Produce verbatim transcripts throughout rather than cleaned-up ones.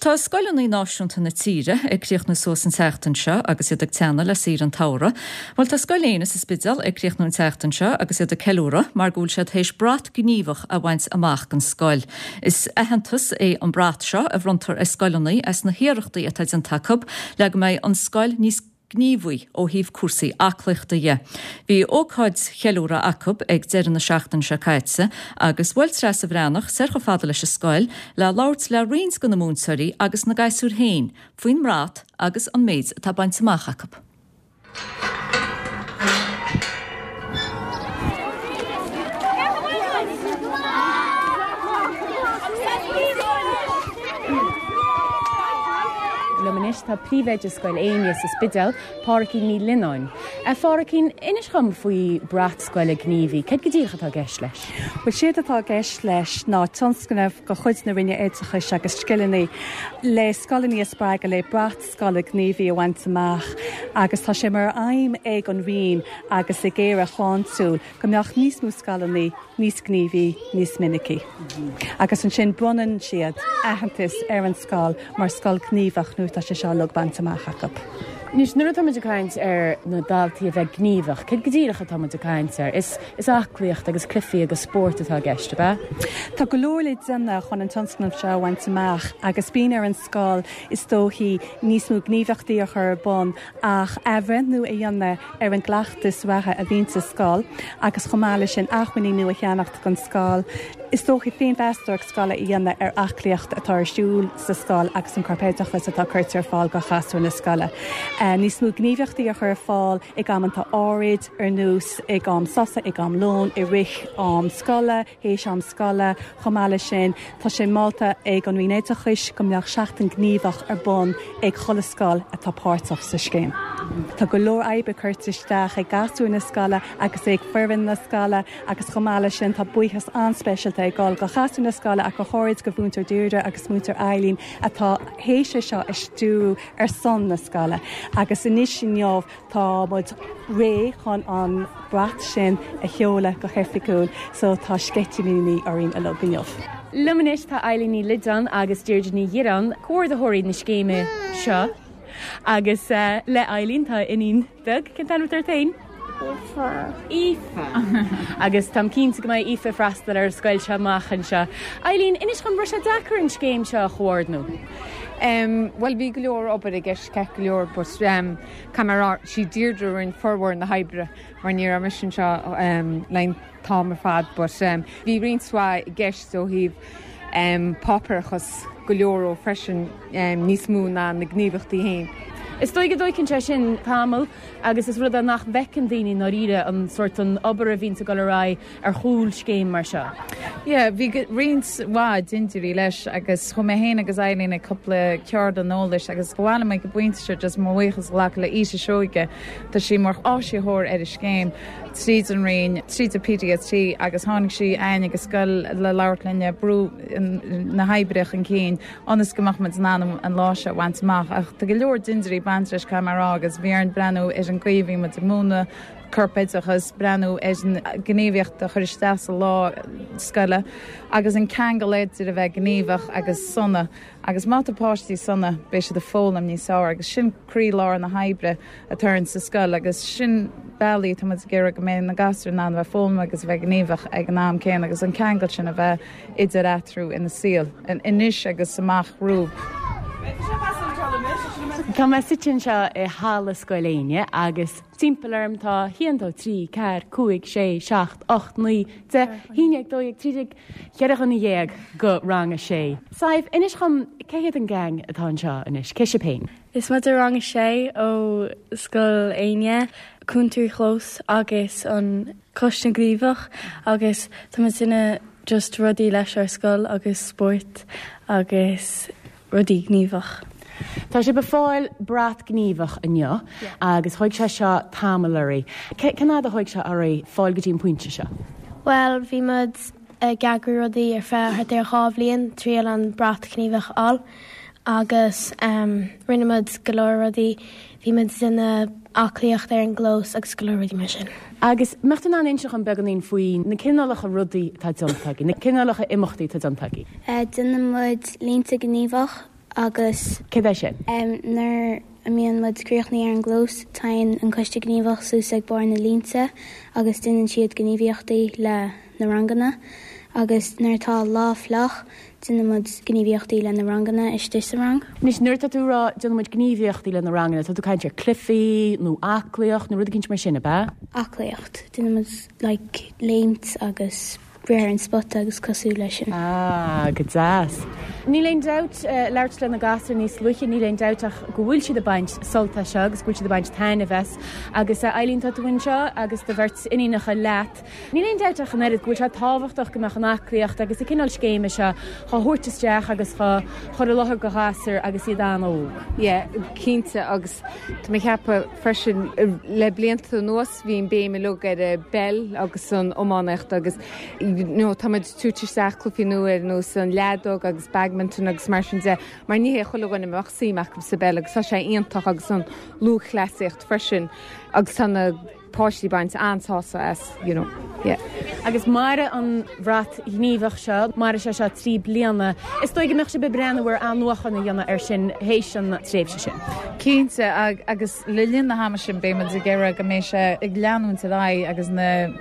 tá scoileanna náisiúnta na tíre ag críochnú suas an tseachtain seo agus iad ag teannadh le saoire an tsamhraidh. Bhuel tá Scoil Éanna sa Spidéal ag críochnú an tseachtain seo agus iad ag ceiliúradh mar go bhfuil siad théis brat gníomhach a bhaint amach don scoil. Is aitheantas é an brat seo a bhronntar ar scoileanna as na hiarrachtaí atá déanta acu le go mbeidh an scoil níos gníomhaí ó thaobh cúrsaí aclaíochta dhe. Bhí ócáid cheiliúrtha acu ag deireadh na seachtaine seo caite agus bhuail Treasa Bhreathnach soir chomh fada leis an scoil le labhairt le roinnt de na múinteoirí agus na gasúir féin faoin mbrat agus an méid atá bainte amach acu. Liom anois tá príomhoide Scoil Éinne sa Spidéal, Pádraigín Ní Lionáin. A Phádraigín, inis dhom faoi brat scoile gníomhaí, céard go díreach atá i gceist leis? Bhuel, séard atá i gceist leis ná tionscnamh de chuid na Roinne Oideachais agus Scileanna le scoileanna a spreagadh le brat scoile gníomhaí a bhaint amach agus tá sé mar aidhm ag an Roinn agus ag Éire Shláintiúil go mbeadh níos mó scoileanna níos gníomhaí níos minicí. Agus ansin bronnann siad aitheantas ar an scoil mar scoil ghníomhach nuair atá sé seo uilig bainte amach acu. Anois, nuair atá muid ag caint ar na daltaí a bheith gníomhach, céard go díreach atá muid ag caint air? Is, is aclaíocht agus cluichí agus spórt atá i gceist, ab ea? Tá go leor le déanamh chun an tionscnamh seo a bhaint amach agus bíonn ar an scoil is dóichí níos mó gníomhaíochtaí a chur ar bun ach athbhreithniú a dhéanamh ar an gcleachtas reatha a bhíonn sa scoil agus chomh maith leis sin acmhainní nua a cheannacht don scoil. Is dóichí féinmheastóireacht scoile a dhéanamh ar aclaíocht atá ar siúl sa scoil agus an corpoideachas atá curtha ar fáil do ghasúir na scoile. Níos mó gníomhaíochtaí a chur ar fáil ag amanta áirid, ar nós ag am sosa, ag am lóin, i rith am scoile, théis am scoile. Chomh maith leis sin, tá sé molta ag an Roinn Oideachais go mbeadh seachtain gníomhach ar bun ag chuile scoil atá páirteach sa scéim. Tá go leor oibre curtha isteach ag gasúir na scoile agus ag foireann na scoile agus chomh maith leis sin tá buíochas an-speisialta ag dul go ghasúir na scoile ach go háirid go Mhúinteoir Deirdre agus Múinteoir Eileen atá théis é seo a stiúradh ar son na scoile agus anois inniu tá muid réidh chun an brat sin a sheoladh go hoifigiúil so tá sceitimíní orainn uilig inniu. Liom anois tá Eileen Ní Loideáin agus Deirdre Ní Dhireáin, comhordaitheoirí na scéime seo. Agus le Eileen tá iníon bheag, cén t-ainm atá ort féin? Aoife. Aoife. Agus táim cinnte go mbeidh Aoife ag freastal ar an scoil seo amach anseo. Eileen, inis dhom, raibh sé deacair an scéim seo a chomhordnú? Um, bhuel bhí go leor obair i gceist ceart go leor but um, caithfidh mé a rá sí Deirdre a rinne formhór na hoibre mar ní raibh mise anseo um, le an t-am ar fad but um, bhí roinnt mhaith i gceist ó thaobh um, páipéarachas go leor ó freisin um, níos mó ná na gníomhaíochtaí féin. Is dóigh go dtóigeann sé sin tamall agus is rud é nach bhfeiceann daoine i ndáiríre an sórt an obair a bhíonns ag dul ar aghaidh ar chúl scéim mar seo. Yeah, bhí roinnt mhaith dintiúirí leis agus chuaigh mé féin agus Eileen ag cúpla ceardlann eolais agus ba mhaith liom ag an bpointe seo just mo bhuíochas a ghlacadh le Ita Seoige, tá sí mar áisitheoir ar an scéim tríd an Roinn, tríd an PDST agus tháinig sí chugainn ag an scoil le labhairt linn ag brú na hoibre chun cinn ionas go mbeadh muid in ann an lá seo a bhaint amach. Ach tá go leor dintiúirí bainte leis caithfidh mé a rá agus bhí orainn breathnú ar an gcaoi a bhí muid ag múineadh corpoideachas, breathnú ar an gníomhaíocht a chur isteach sa lá scoile agus an ceangal idir a bheith gníomhach agus sona. Agus má tá páistí sona, beidh siad ag foghlaim níos fearr agus sin croílár na hoibre atá orainn sa scoil agus sin bealaí atá muid ag iarraidh go mbeidh na gasúir in ann a bheith ag foghlaim agus a bheith gníomhach ag an am céanna agus an ceangal sin a bheith idir eatarthu ina saol anois agus amach romhainn. Tá mé suite anseo i halla Scoil Éinne agus timpeall orm tá a haon, dó, trí, ceathair, cúig, sé, seacht, ocht, naoi, deich, haon déag, dó dhéag, trí déag, ceithre dhuine dhéag go rang a sé. Sadhbh, inis dhom, cé hiad an gang atá anseo anois? Cé sibh féin? Is muid rang a sé ó Scoil Éinne, Cúntóirí Chlós agus an Coiste Gníomhach agus tá muid ag déanamh just rudaí leis ár scoil agus spórt agus rudaí gníomhach. Tá sibh ag fáil brat gníomhach inniu agus thóig sé seo tamall oraibh. Cén fhad a thóig sé oraibh fáil go dtí an pointe seo? Bhuel, bhí muid ag eagrú rudaí ar feadh thart ar dhá bhliain, triail an brat gníomhach a fháil agus rinne muid go leor rudaí, bhí muid ag déanamh aclaíocht ar an gclós agus go leor rudaí mar sin. Agus mbeadh tú in ann inse dhom beagáinín faoi na cineálacha rudaí atá déanta agaibh, na cineálacha imeachtaí atá déanta agaibh? Déanann muid línte gníomhach. Agus Céard é sin? Nuair a mbíonn muid críochnaithe ar an gclós, téann an coiste gníomhach suas ag barr na línte agus déanann siad gníomhaíochtaí le na ranganna. Agus nuair atá lá fliuch, déanann muid gníomhaíochtaí le na ranganna istigh sa rang. Anois nuair atá tú ag rá déanann muid gníomhaíochtaí le na ranganna, tá tú ag caint ar cluichí nó aclaíocht nó rud éicint mar sin, ab ea? Aclaíocht. Déanann muid like léimt agus rith ar an spota agus cosúil leis sin. Ah, go deas. Níl aon dabht, labhairt le na gasúir níos luaithe, níl aon dabht ach go bhfuil siad ag baint sult as seo agus go bhfuil siad ag baint taitneamh as. Agus Eileen, tá tú anseo agus do bheirt iníonacha leat. Níl aon dabht ach an oiread go bhfuil sé tábhachtach go mbeadh an aclaíocht agus an cineál scéime seo chá thabhairt isteach agus chá chur i láthair do ghasúir agus iad an-óg. Yeah, cinnte agus tá mé ag ceapadh freisin le blianta anuas bhí an béim uilig ar an bpeil agus an iománaíocht agus you know, tá muid ag tabhairt isteach cluichí nua ar nós an leadóg agus badminton agus mar sin de, mar ní hé chuile dhuine a mbeadh suim acu sa bpeil agus tá sé iontach agus an lúthchleasaíocht freisin agus tá na páistí ag baint an-sásamh as, you know, yeah. Agus mairfidh an bhrat ghníomhach seo, mairfidh sé seo trí bliana, is dóigh go mbeadh sibh ag breathnú ar athnuachan a dhéanamh air sin théis an tréimhse sin. Cinnte, agus le linn na hama sin beidh muid ag iarraidh go mbeidh sé ag leanúint ar aghaidh agus na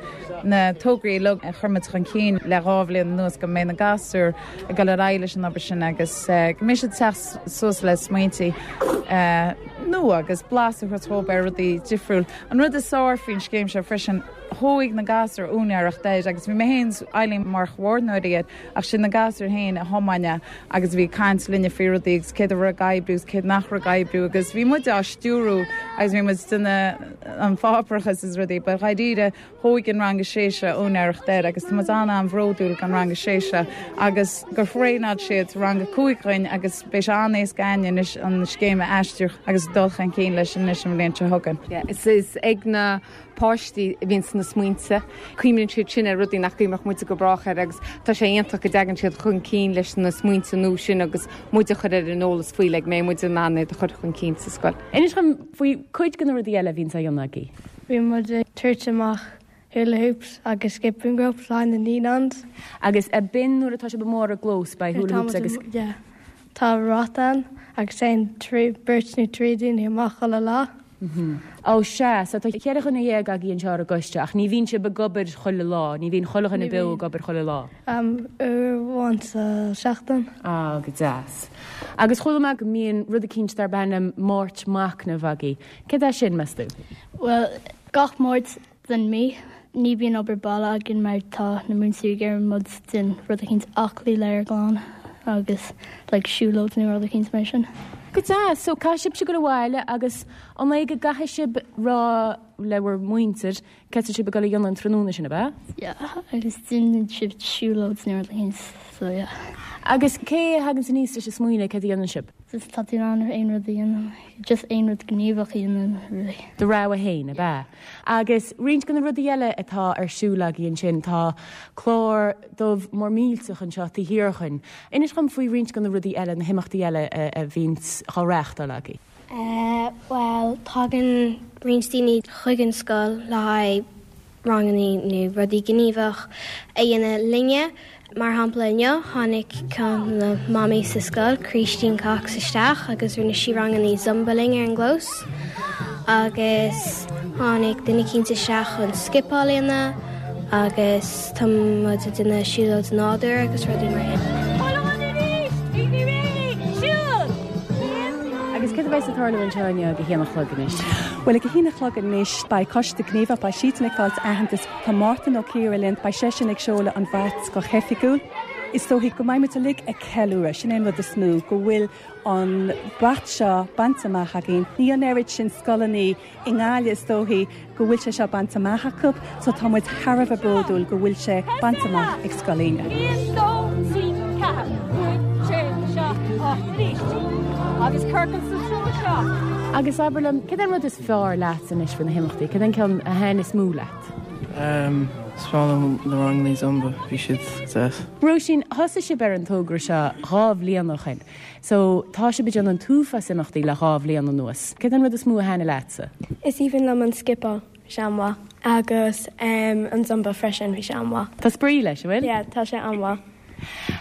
na tograí uilig a chuir muid chun cinn le dhá bhliain anuas go mbeidh na gasúir ag dul ar aghaidh leis an obair sin agus go mbeidh siad ag teacht suas le smaointe nua agus blas a thabhairt dóibh ar rudaí difriúil. An rud is fearr faoin scéim seo freisin, thóg na gasúir úinéireacht air agus bhí mé féin is Eileen mar chomhordaitheoirí air ach sin na gasúir féin a thiomáin é agus bhí caint linne faoi rudaí agus céard a raibh ag oibriú agus céard nach raibh ag oibriú agus bhí muid á stiúrú agus bhí muid ag déanamh an pháipéarachas is rudaí, but dháiríre thóg an rang a sé seo úinéireacht air agus tá muid an-an-bhródúil den rang a sé seo agus gur thraenáil siad rang a cúig againn agus beidh sé an-éasca againn anois an scéim a aistriú agus dul chun cinn leis anois an bhliain seo chugainn. Yeah, is is ag na páistí a bhíonn na smaointe, cuimhníonn siad sin ar rudaí nach gcuimhneodh muide go brách air agus tá sé iontach go dtagann siad chun cinn leis na smaointe nua sin agus muid a chur ar an eolas faoi le go mbeidh muid in ann iad a chur chun cinn sa scoil. Inis dom faoi cuid de na rudaí eile a bhíonn á dhéanamh agaibh. Bhí muid ag tabhairt amach hula hoops agus skipping ropes le na naíonáin. Agus a b'in nuair atá sibh amuigh ar an gclós beidh hula hoops agus. Yeah. Tá rota ann agus téann trí beirt nó trí daoine amach chuile lá. Ó sea, so tá ceithre dhuine dhéag agaibh anseo ar an gcoiste ach ní bhíonn sibh ag obair chuile lá, ní bhíonn chuile dhuine beo ag obair chuile lá. Um, uair amháin sa seachtain. Á, go deas. Agus chuala mé go mbíonn rud eicínt darb ainm Máirt Machnaimh agaibh. Céard é sin, meas tú? Well, gach Máirt den mí, ní bhíonn obair baile againn mar tá na múinteoirí ag iarraidh muid déan rud eicínt aclaí le ár gclann agus like siúlóid nó rud eicínt mar sin. Go deas, so caithfidh sibhse dul abhaile agus an é go gcaithfidh sibh rá le bhur muintir céard atá sibh ag dul a dhéanamh an tráthnóna sin, ab ea? Yeah, agus déanann sibh siúlóid nó rud eicínt, so yeah. Agus cé a thagann aníos leis an smaoineamh céard a dhéanann sibh? Just tá tú in ann aon rud a dhéanamh, just aon rud gníomhach a dhéanamh, really. Do rogha féin, ab ea? Agus roinnt de na rudaí eile atá ar siúl agaibh ansin, tá clár dubh mór millteach anseo taobh thiar dhúinn. Inis dom faoi roinnt de na rudaí eile, na himeachtaí eile a bhíonns á reáchtáil agaibh. Uh, well, tagann roinnt daoine chuig an scoil le haghaidh ranganna nó rudaí gníomhach a dhéanamh linne. Mar shampla inniu tháinig ceann na mamaí sa scoil, Christine Cox isteach agus rinne sí ranganna Zumba linn ar an gclós. Agus tháinig duine eicínt isteach chun scipeáil a dhéanamh agus tá muid ag déanamh siúlóid nádúr agus rudaí mar sin. Agus céard a bheas ag tarlú anseo inniu ag a haon a chlog anois? Well ag a haon a chlog anois beidh coiste gníomhach beidh siadsan ag fáilt aitheantas tá Mártan Ó Ciara linn beidh seisean ag seoladh an bhrat go hoifigiúil. Is dóigh go mbeidh muid uilig ag ceiliúradh sin é an rud is mó go bhfuil an brat seo bainte amach againn. Ní an oiread sin scoileanna i nGaillimh is dóigh go bhfuil sé seo bainte amach acu, so tá muid thar a bheith bródúil go bhfuil sé bainte amach ag Scoil Éinne. Aon, dó, trí, ceathair, cúig, sé, seacht, ocht, arís. Agus ciorcal sa treo seo. Agus abair liom, céard é an rud is fearr leat anois faoi na himeachtaí, céard é an ceann a thaitin is mó leat? Um, is fearr liom na ranganna Zumba, bhí siad deas. Róisín, thosaigh sibh ar an togra seo dhá bhliain ó shin. So tá sibh ag déanamh an t-uafás imeachtaí le dhá bhliain anuas. Céard é an rud is mó a thaitin leatsa? Is aoibhinn liom an scipeáil, bhí sé an-mhaith agus um, an Zumba freisin bhí sé an-mhaith. Tá spraoi leis, bhfuil? Yeah, tá sé an-mhaith.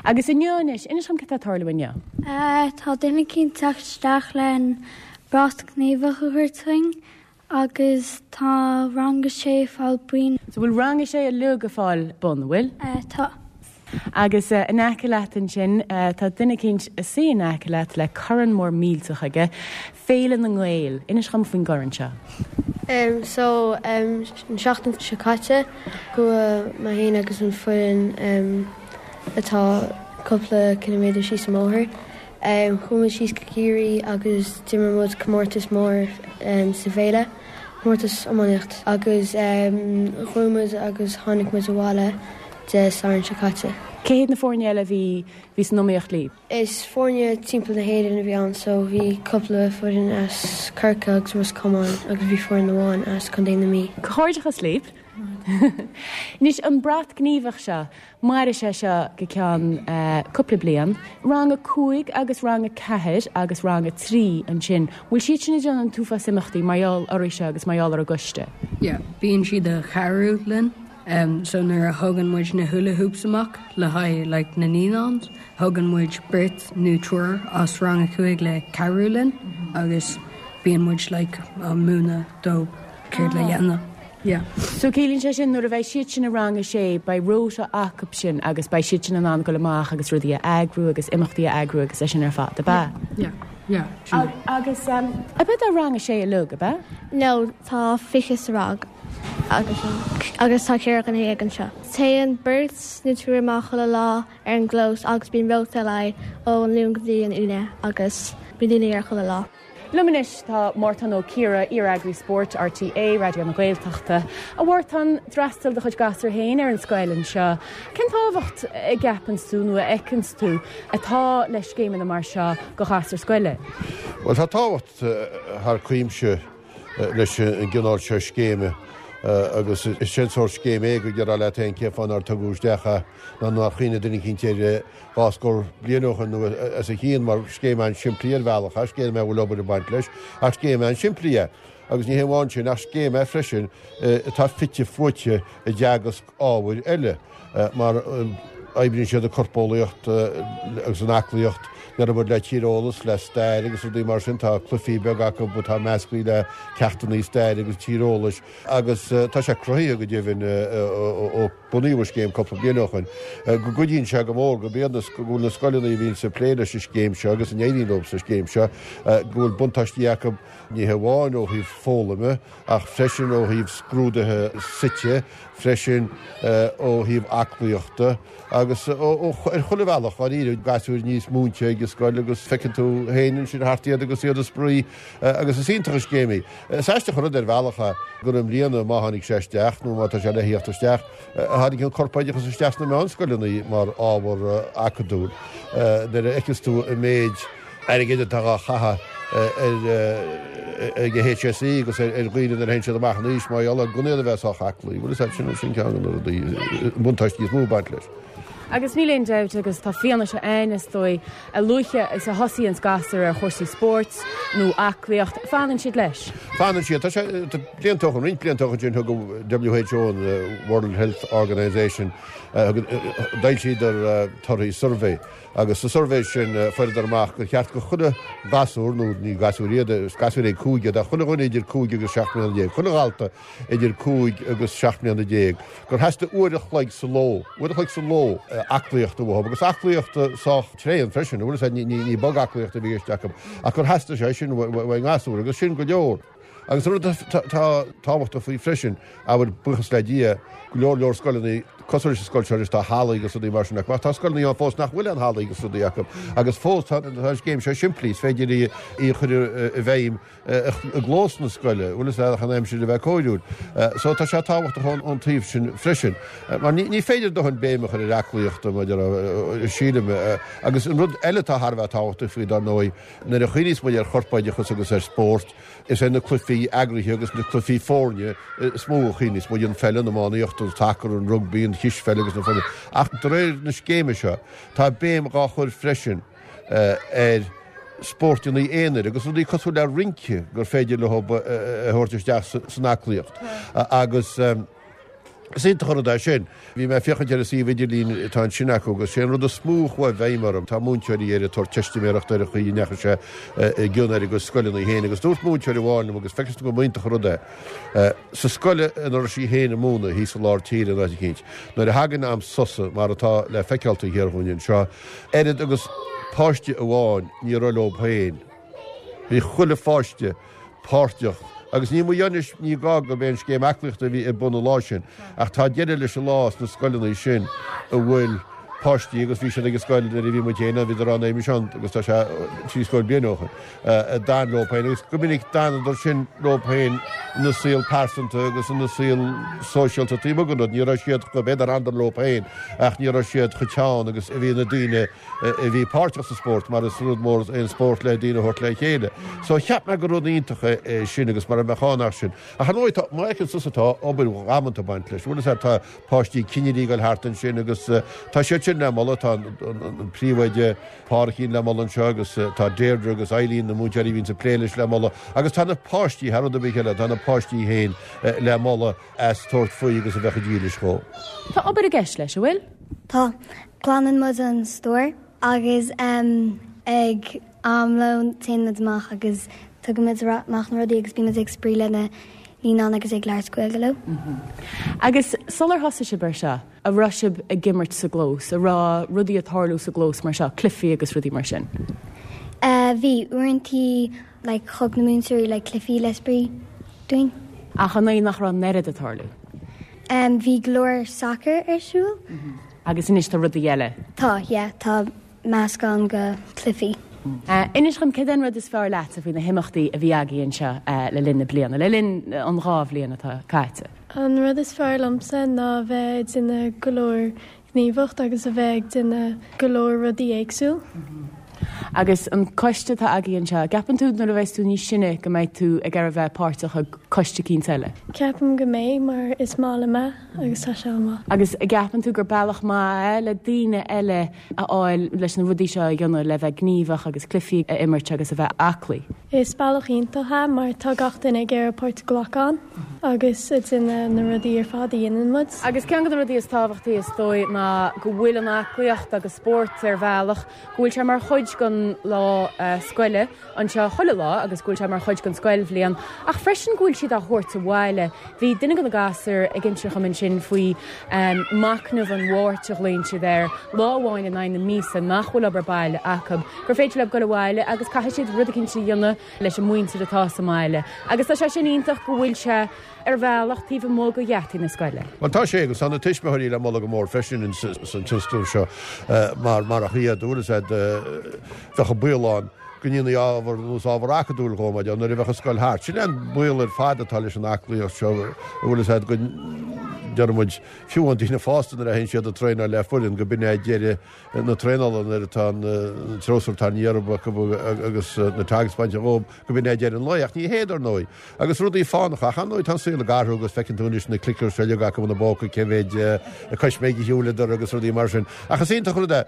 Agus inniu anois, inis dom cad tá ag tarlú inniu. Tá duine eicínt ag teacht isteach len brat gníomhach a thabhairt dúinn agus tá rang a sé ag fáil boinn. So bhfuil rang a sé uilig ag fáil bonn, bhfuil? Tá. Agus in aice leat ansin, tá duine eicínt ag suí in aice leat le corn mór millteach aige, Féile na nGael. Inis dhom faoin gcorn seo. Um, so um, an seachtain seo caite chuaigh mé féin agus an foireann um, atá cúpla ciliméadar síos an bóthar. Um, chuaigh muid síos go Ciarraí agus d'imir muid comórtas mór um, sa bhféile, comórtas iománaíocht agus um, chuaigh muid agus tháinig muid abhaile Dé Sathairn seo caite. Cé hiad na foirne eile a bhí bhí san iomaíocht libh? Is foirne timpeall na hÉireann a bhí ann so bhí cúpla foireann as Corcaigh agus Ros Comáin agus bhí foireann amháin as Contae na Mí. Comhghairdeachas libh. Anois an brat gníomhach seo, mairfidh sé seo go ceann cúpla bliain. Rang a cúig agus rang a ceathair agus rang a trí ansin, bhfuil siad sin ag déanamh an t-uafás imeachtaí mar gheall oraibh seo agus mar gheall ar an gcoiste? Yeah, bíonn siad ag cabhrú linn. Um, so nuair a thugann muid na hula hoops amach le haghaidh like, na naíonáin, thugann muid beirt nó triúr as rang a cúig le cabhrú linn agus bíonn muid like, á múineadh dóibh céard le dhéanamh. Yeah. So ciallaíonn sé sin nuair a bheidh siad sin i rang a sé, beidh rota acu sin agus beidh siad sin in ann dul amach agus rudaí a eagrú agus imeachtaí a eagrú agus é sin ar fad, ab ea? Yeah. Yeah. Yeah. Agus um, ab ea rang a sé uilig, ab ea? No, tá fiche sa rang. Agus agus tá ceithre dhuine dhéag anseo. Téann beirt nó triúr amach chuile lá ar an gclós agus bíonn rota le ón Luan go dtí an Aoine agus bíonn daoine ar chuile lá. Liom anois tá Mártan Ó Ciardha, iar-eagraí spóirt RTÉ, Raidió na Gaeltachta. A Mhártain, d'fhreastail do chuid gasúr féin ar an scoil anseo. Cén tábhacht a gceapann tú nó a fheiceann tú atá le scéimeanna mar seo do ghasúir scoile? Bhuel, tá tábhacht thar cuimse leis an gcineál seo scéime agus is é an sórt scéim é go déarfá leat féin cén fáth nár tugadh isteach é nó nár chuimhnigh duine eicínt air dhá scór bliain ó shin nó os a chionn mar scéim an-simplí ar bhealach é, scéim é a bhfuil obair ag baint leis ach scéim an-simplí é. Agus ní hé amháin sin ach scéim é freisin atá fite fuaite i dteagasc ábhair eile mar Oibríonn siad an corpeolaíocht agus an aclaíocht, an obair le tíreolas, le stair agus rudaí mar sin. Tá cluichí beaga acu atá measctha le ceachtanna staire agus tíreolais agus tá sé cruthaithe go deimhin ó bunaíodh an scéim cúpla bliain ó shin go gcuidíonn sé go mór go mbíonn go bhfuil na scoileanna a bhíonn ag plé leis an scéim seo agus a n-éiríonn leo sa scéim seo go bhfuil buntáistí acu ní hamháin ó thaobh foghlaime ach freisin ó thaobh scrúduithe suite freisin ó thaobh aclaíochta agus ar chuile bhealach, dáiríre, gasúir níos múinte ag an scoil agus feiceann tú féin ansin thart iad agus iad ag spraoi agus is iontach an scéim í. Is aisteach an rud ar bhealach é gur i mbliana, má tháinig sé isteach nó má tá sé le theacht isteach, a tháinig an corpoideachas isteach sna meánscoileanna mar ábhar acadúil. Nuair a fheiceas tú an méid airgid atá á chaitheamh ar ag an HSE agus ar dhaoine nuair a théann siad amach in aois mar gheall ar gan iad a bheith sách aclaí. Bhuel, is é sin sin ceann de na rudaí, buntáistí is mó ag baint leis. Agus níl aon dabht agus tá fianaise ann is dóigh, a luaithe is a thosaíonn gasúir ar chúrsaí spóirt nó aclaíocht, fanann siad leis. Fanann siad. Tá sé, tá blianta ó shin, roinnt blianta ó shin thug an WHO, an World Health Organization, d'fhoilsíodar torthaí suirbhé Agus sa suirbhé sin fuaireadar amach gur cheart go chuile ghasúr, nó ní gasúir iad, is gasúir ag cúig iad, ach chuile dhuine idir cúig agus seacht mbliana déag, chuile dhalta idir cúig agus seacht mbliana déag, gur theastaigh uair a chloig sa ló, uair a chloig sa ló, aclaíochta uathu, agus aclaíocht sách tréan freisin, bhfuil a fhios agat, ní, ní bog-aclaíocht a bhí i gceist acu, ach gur theastaigh sé sin uaidh an ngasúr, agus sin go leor. Agus an rud atá tábhachtach faoi freisin, abair, buíochas le Dia, go leor leor scoileanna, cosúil leis an scoil seo anois, tá hallaí agus rudaí mar sin acu, ach tá scoileanna ann fós nach bhfuil aon hallaí agus rudaí acu, agus fós tá an scéim seo simplí, is féidir í a chur i bhfeidhm i gclós na scoile, bhfuil a fhios agat, ach an aimsir a bheith cóiriúil. So tá sé tábhachtach ón taobh sin freisin. Mar ní féidir dóthain béim a chur ar aclaíocht, mar sílim. Agus an rud eile atá thar a bheith tábhachtach faoi, dar ndóigh, nuair a chuimhníos muid ar chorpoideachas agus ar spórt, Is ar na cluichí eagraithe agus na cluichí foirne is mó a chuimhníos muid, an pheil, an iománaíocht, an sacar, an rugbaí, an chispheil agus na foirne. Ach de réir na scéime seo, tá béim dhá chur freisin ar spórtanna aonair agus rudaí cosúil le rince gur féidir leo a thabhairt isteach san aclaíocht. Agus. Is iontach an rud é sin. Bhí mé ag féachaint ar an suíomh idirlín atá ansin acu agus sé an rud is mó a chuaigh i bhfeidhm orm, tá múinteoirí air ag tabhairt teistiméireachta ar an chaoi a ndeachaigh sé i gcion ar a gcuid scoileanna féin agus dúirt múinteoir amháin liom agus feiceann tú go mb'iontach an rud é, sa scoil ina raibh sí féin ag múineadh thíos i lár tíre in áit eicínt, nuair a thagann am sosa mar atá le feiceáil taobh thiar dhúinn anseo, oiread agus páiste amháin ní raibh leo féin. Bhí chuile pháiste páirteach agus ní mo anois ní gá gurb é an scéim aclaíochta a bhí ar bun an lá sin ach tá deireadh leis an lá sna scoileanna sin a bhfuil páistí agus bhí siad ag an scoil nuair a bhí muid féin ann, bhíodar ann roimis ann agus tá sé trí scór bliain ó shin, a d'fhan leo féin agus go minic d'fhanadar sin leo féin ina saol pearsanta agus ina saol sóisialta taobh amuigh den rud. Ní raibh siad chomh, b'fhéidir d'fhanadar leo féin ach ní raibh siad chomh teann agus a bhí na daoine a bhí páirteach sa spórt mar is rud mór é an spórt le daoine a thabhairt le chéile. So cheap mé gur rud iontach é sin agus mara mbeadh ann ach sin. Ach ar ndóigh tá, má fheiceann tusa tá obair dhamanta ag baint leis. Bhfuil fhios agat tá páistí cinnirí ag dul thart ansin agus tá siad sin le moladh, tá an príomhoide Pádraicín le moladh anseo agus tá Deirdre agus Eileen na múinteoirí a bhíonns ag plé leis le moladh agus tá na páistí, thar rud ar bith eile, tá na páistí féin le moladh as tabhairt faoi agus a bheith chomh dílis dhó. Tá obair i gceist leis, an bhfuil? Tá. Glanann muid an stór agus ag am lóin téann muid amach agus tugann muid amach na rudaí agus bíonn muid ag spraoi le na naíonáin agus ag labhairt Gaeilge leo. Agus sular thosaigh sibh ar seo, a' raibh sibh ag imirt sa gclós, a' raibh rudaí ag tarlú sa gclós mar seo, cluichí agus rudaí mar sin? Bhí, uaireantaí like thug na múinteoirí like cluichí le spraoi dúinn. Ach an é nach raibh an oiread ag tarlú? Bhí go leor sacar ar siúl. Agus anois tá rudaí eile. Tá, yeah, tá meascán de chluichí. Inis dhom, céard é an rud is fearr leatsa faoi na himeachtaí a bhí agaibh anseo le linn na bliana, le linn an dhá bhliain atá caite? An rud is fearr liomsa ná a bheith ag déanamh go leor gníomhaíocht agus a bheith ag déanamh go leor rudaí éagsúil. Agus an coiste atá agaibh anseo, an gceapann tú nuair a bheas tú níos sine go mbeidh tú ag iarraidh bheith páirteach i gcoiste eicínt eile? Ceapaim go mbeidh mar is maith liom é agus tá sé an-mhaith. Agus an gceapann tú gur bealach maith é le daoine eile a fháil leis na rudaí seo a dhéanamh, le bheith gníomhach agus cluichí a imirt agus a bheith aclaí? Is bealach iontach é mar tá gach duine ag iarraidh páirt a ghlacadh ann agus ag déanamh na rudaí ar fad a dhéanann muid. Agus ceann de na rudaí is tábhachtaí is dóigh ná go bhfuil an aclaíocht agus spórt ar bhealach, go bhfuil sé mar chuid den lá scoile anseo chuile lá agus go bhfuil sé mar chuid den scoilbhliain ach freisin go bhfuil siad á thabhairt abhaile. Bhí duine de na gasúir ag inse dhom ansin faoi machnamh an Mháirt a ghlaonn siad air, lá amháin in aghaidh na míosa nach bhfuil obair baile acu, gur féidir leo dul abhaile agus caithfidh siad rud eicínt a dhéanamh leis an muintir atá sa mbaile. Agus tá sé sin iontach go bhfuil sé ar bhealach taobh amuigh de gheataí na scoile. Bhuel, tá sé, agus tá na tuismitheoirí le moladh go mór freisin san tionscnamh seo, mar marach iad, bhfuil fhios a'd, bheadh an baol ann go ndéanfaí ábhar nós ábhar acadúil dhó, mar nuair a bheadh an scoil thart. Sin é an baol ar fad atá leis an aclaíocht seo, bhfuil fhios a'd, go ndeir muid, fiú an daoine fásta nuair a théann siad ag traenáil le foireann, go b'in é deireadh na traenála nuair atá an treabhsar tarraingthe orthu acu agus na togs bainte dhóibh, go b'in é deireadh an lae. Ach ní hé, dar ndóigh. Agus rudaí fánacha. Ach ar ndóigh tá an saol ag athrú agus feiceann tú anois na clickers seo uilig acu ina bpóca, cé mhéid coisméig a shiúileadar agus rudaí mar sin. Ach is iontach an rud é.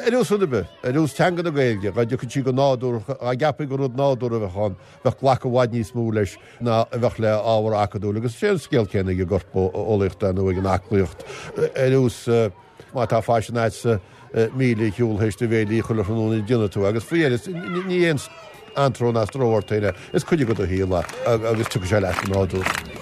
Ar nós rud ar bith, ar nós teanga na Gaeilge, dhá dtiocfadh sí go nádúrtha, dhá gceapfaí gur rud nádúrtha a bheadh ann, bheadh glacadh i bhfad níos mó leis ná a bheadh le ábhar acadúil. Agus is é an scéal céanna ag an gcorp eolaíocht nó ag an aclaíocht. Ar nós má tá faisean a'dsa míle a shiúl théis do bhéilí chuile thráthnóna déanfaidh tú agus faoi dheireadh ní aon anró ná stró ort féin é, is cuid de do shaol é agus tiocfaidh sé leat go nádúrtha.